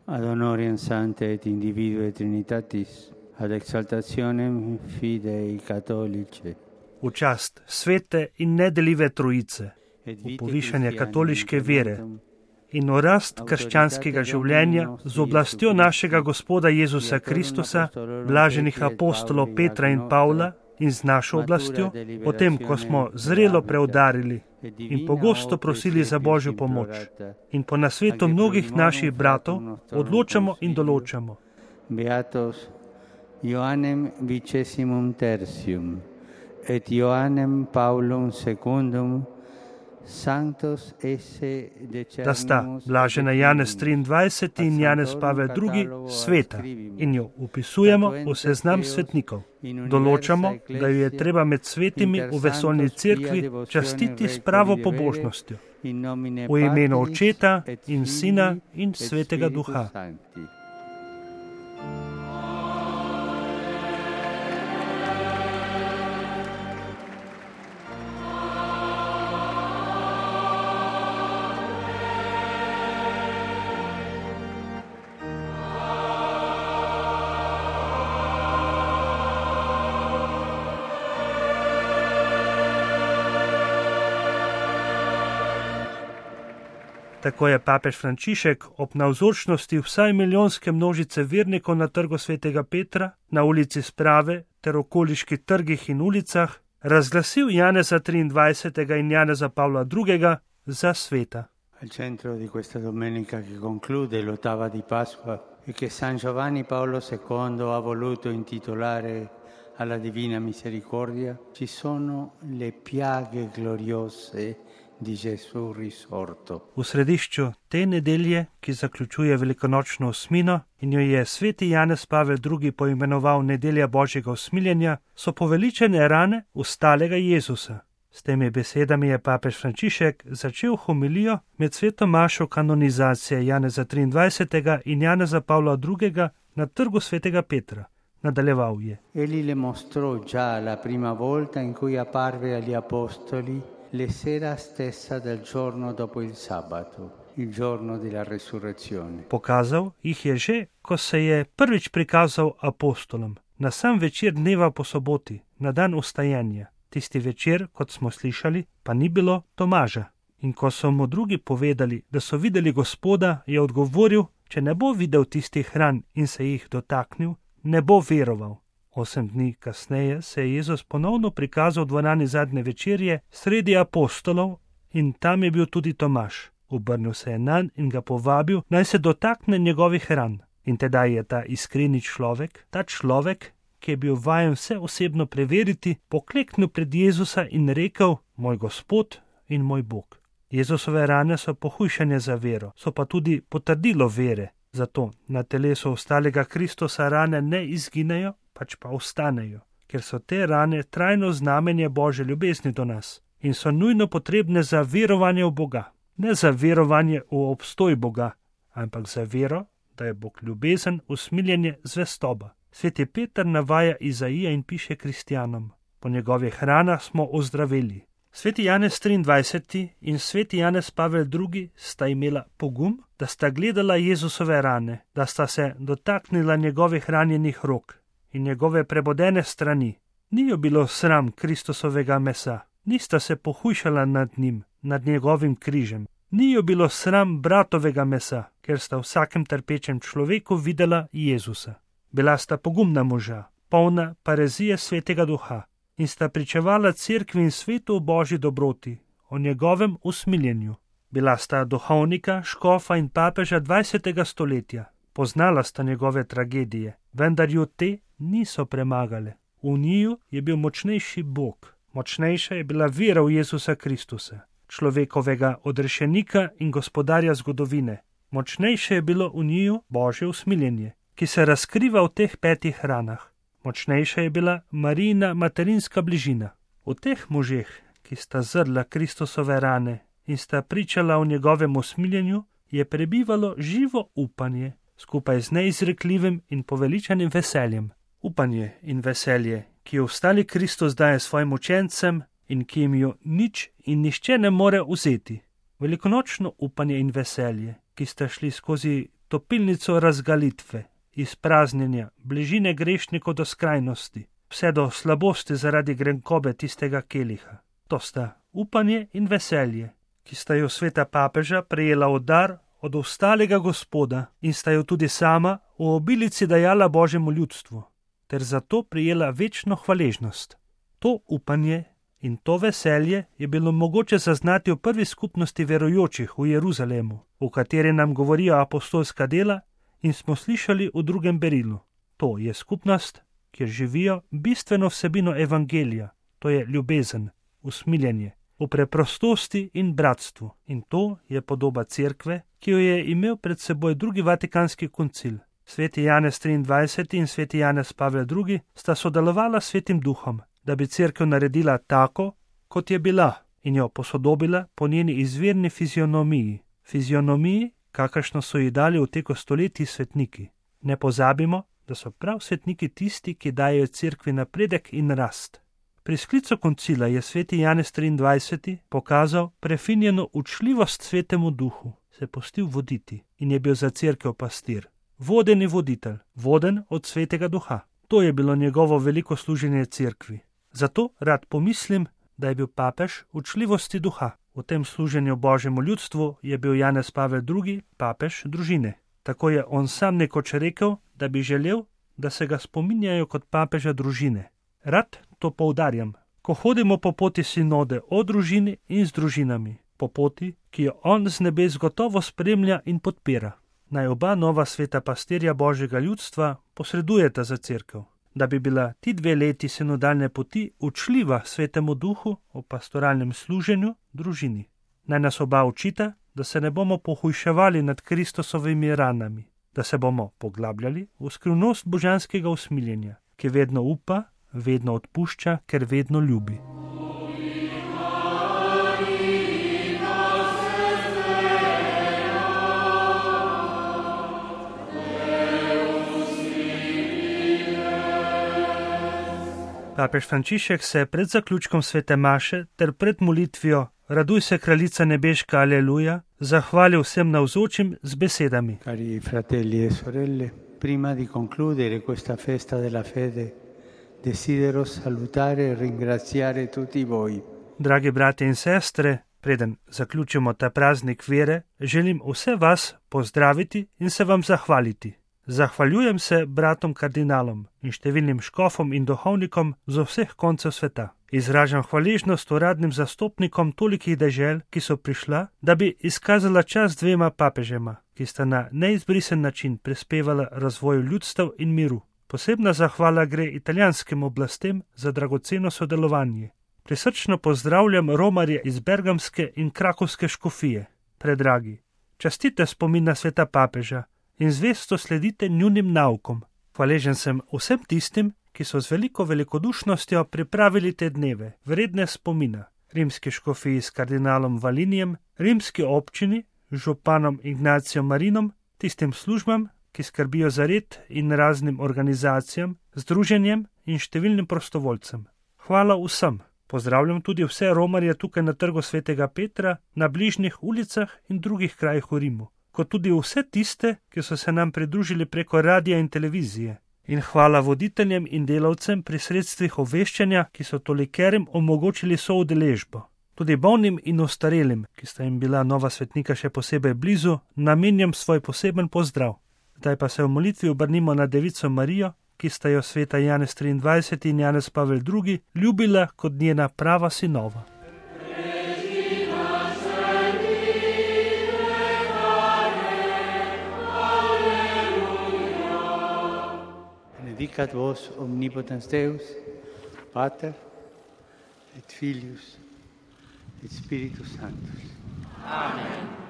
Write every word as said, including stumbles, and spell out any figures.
ad honorem sancte et individue Trinitatis, ad exaltationem Fidei Catholici, v čast svete in nedeljive trojice, v povišanje katoliške vere in v rast krščanskega življenja z oblastjo našega Gospoda Jezusa Kristusa, blaženih apostolov Petra in Pavla in z našo oblastjo, potem, ko smo zrelo preudarili in pogosto prosili za Božjo pomoč in po nasvetu mnogih naših bratov odločamo in določamo. Beatos Ioannem vicesimum tertium et Ioannem Paulum secundum, sanctos esse decernus, da sta blažena Janez triindvajseti in Janez Pavel drugi sveta in jo upisujemo v seznam svetnikov. Določamo, da jo je treba med svetimi v vesoljni cerkvi častiti s pravo pobožnostjo, v imenu Očeta in Sina in Svetega Duha. Tako je papež Frančišek ob navzočnosti vsaj milijonske množice vernikov na trgu svetega Petra, na ulici Sprave ter okoliških trgih in ulicah razglasil Janeza triindvajsetega in Janeza Pavla drugega za sveta. Al centro di questa domenica che conclude l'ottava di Pasqua e che San Giovanni Paolo secondo ha voluto intitolare alla Divina Misericordia, ci sono le piaghe gloriose di Gesù risorto. V središču te nedelje, ki zaključuje velikonočno osmino in jo je sveti Janez Pavel drugi poimenoval nedelja Božjega usmiljenja, so poveličene rane ustalega Jezusa. S temi besedami je papež Frančišek začel homilijo med sveto mašo kanonizacije Janeza triindvajsetega in Janeza Pavla drugega na trgu svetega Petra. Nadaljeval je. Egli le mostrò già la prima volta in cui apparve agli apostoli le sera stessa del giorno dopo il sabato, il giorno della resurrezione. Pokazal jih je že, ko se je prvič prikazal apostolom, na sam večer dneva po soboti, na dan vstajenja. Tisti večer, kot smo slišali, pa ni bilo Tomaža. In ko so mu drugi povedali, da so videli Gospoda, je odgovoril, če ne bo videl tistih ran in se jih dotaknil, ne bo veroval. Osem dni kasneje se je Jezus ponovno prikazal v dvorani zadnje večerje sredi apostolov in tam je bil tudi Tomaž. Obrnil se je nanj in ga povabil, naj se dotakne njegovih ran. In tedaj je ta iskreni človek, ta človek, ki je bil vajen vse osebno preveriti, pokleknil pred Jezusa in rekel, moj Gospod in moj Bog. Jezusove rane so pohujšanje za vero, so pa tudi potrdilo vere. Zato na telesu ostalega Kristusa rane ne izginejo, pač pa ostanejo, ker so te rane trajno znamenje Božje ljubezni do nas in so nujno potrebne za verovanje v Boga. Ne za verovanje v obstoj Boga, ampak za vero, da je Bog ljubezen, usmiljenje, zvestoba. Sveti Peter navaja Izaija in piše kristjanom, po njegovih ranah smo ozdraveli. Sveti Janez triindvajseti in sveti Janez Pavel drugi sta imela pogum, da sta gledala Jezusove rane, da sta se dotaknila njegovih ranjenih rok in njegove prebodene strani. Ni jo bilo sram Kristusovega mesa, nista se pohujšala nad njim, nad njegovim križem. Ni jo bilo sram bratovega mesa, ker sta v vsakem trpečem človeku videla Jezusa. Bila sta pogumna moža, polna parezije Svetega Duha in sta pričevala cerkvi in svetu o Božji dobroti, o njegovem usmiljenju. Bila sta duhovnika, škofa in papeža dvajsetega stoletja. Poznala sta njegove tragedije, vendar ju te niso premagale. V njiju je bil močnejši Bog, močnejša je bila vera v Jezusa Kristusa, človekovega odrešenika in gospodarja zgodovine. Močnejše je bilo v njiju Božje usmiljenje, ki se razkriva v teh petih ranah. Močnejša je bila Marijina materinska bližina. V teh možeh, ki sta zrla Kristusove rane in sta pričala o njegovem usmiljenju, je prebivalo živo upanje, skupaj z neizrekljivim in poveličanim veseljem. Upanje in veselje, ki jo ostali Kristus daje svojim učencem in ki jim jo nič in nišče ne more vzeti. Velikonočno upanje in veselje, ki sta šli skozi topilnico razgalitve, izpraznjenja, bližine grešnikov do skrajnosti, vse do slabosti zaradi grenkobe tistega keliha. To sta upanje in veselje, ki sta jo sveta papeža prejela v dar od ostalega Gospoda in sta jo tudi sama v obilici dajala Božjemu ljudstvu, ter zato prijela večno hvaležnost. To upanje in to veselje je bilo mogoče zaznati v prvi skupnosti verujočih v Jeruzalemu, v kateri nam govorijo apostolska dela in smo slišali v drugem berilu. To je skupnost, kjer živijo bistveno vsebino evangelija, to je ljubezen, usmiljenje, v preprostosti in bratstvu. In to je podoba cerkve, ki jo je imel pred seboj drugi vatikanski koncil. Sveti Janez triindvajseti in sveti Janez Pavel drugi sta sodelovala s Svetim duhom, da bi cerkev naredila tako, kot je bila, in jo posodobila po njeni izvirni fizionomiji. Fizionomiji, kakršno so ji dali v teku stoletij svetniki. Ne pozabimo, da so prav svetniki tisti, ki dajejo cerkvi napredek in rast. Pri sklicu koncila je sveti Janez triindvajseti pokazal prefinjeno učljivost Svetemu duhu, se pustil voditi in je bil za cerkev pastir. Vodeni voditelj, voden od Svetega duha. To je bilo njegovo veliko služenje cerkvi. Zato rad pomislim, da je bil papež učljivosti duha. V tem služenju Božjemu ljudstvu je bil Janez Pavel drugi papež družine. Tako je on sam nekoč rekel, da bi želel, da se ga spominjajo kot papeža družine. Rad to poudarjam, ko hodimo po poti sinode o družini in z družinami, po poti, ki jo on z nebes gotovo spremlja in podpira. Naj oba nova sveta pastirja Božjega ljudstva posredujeta za cerkev, da bi bila ti dve leti sinodalne poti učljiva Svetemu duhu o pastoralnem služenju družini. Naj nas oba učita, da se ne bomo pohujševali nad Kristusovimi ranami, da se bomo poglabljali v skrivnost božanskega usmiljenja, ki vedno upa, vedno odpušča, ker vedno ljubi. Papež Frančišek se pred zaključkom svete maše ter pred molitvijo Raduj se, kraljica nebeška, aleluja, zahvalil vsem navzočim z besedami. Cari fratelli e sorelle, prima di concludere questa festa della fede, desidero salutare e ringraziare tutti voi. Dragi bratje in sestre, preden zaključimo ta praznik vere, želim vse vas pozdraviti in se vam zahvaliti. Zahvaljujem se bratom kardinalom in številnim škofom in duhovnikom z vseh koncev sveta. Izražam hvaležnost uradnim zastopnikom tolikih dežel, ki so prišla, da bi izkazala čast dvema papežema, ki sta na neizbrisen način prispevala razvoju ljudstev in miru. Posebna zahvala gre italijanskim oblastem za dragoceno sodelovanje. Prisrčno pozdravljam romarje iz bergamske in krakovske škofije. Predragi, častite spomin na sveta papeža in zvesto sledite njunim naukom. Hvaležen sem vsem tistim, ki so z veliko velikodušnostjo pripravili te dneve, vredne spomina. Rimski škofiji s kardinalom Valinijem, rimski občini, županom Ignacijom Marinom, tistim službam, ki skrbijo za red in raznim organizacijam, združenjem in številnim prostovoljcem. Hvala vsem. Pozdravljam tudi vse romarje tukaj na trgu svetega Petra, na bližnjih ulicah in drugih krajih v Rimu, kot tudi vse tiste, ki so se nam pridružili preko radija in televizije. In hvala voditeljem in delavcem pri sredstvih obveščanja, ki so tolikerim omogočili soudeležbo. Tudi bolnim in ostarelim, ki sta jim bila nova svetnika še posebej blizu, namenjam svoj poseben pozdrav. Zdaj pa se v molitvi obrnimo na Devico Marijo, ki sta jo sveta Janez triindvajseti in Janez Pavel drugi ljubila kot njena prava sinova. Benedicat vos omnipotens Deus, Pater et Filius et Spiritus Sanctus. Amen.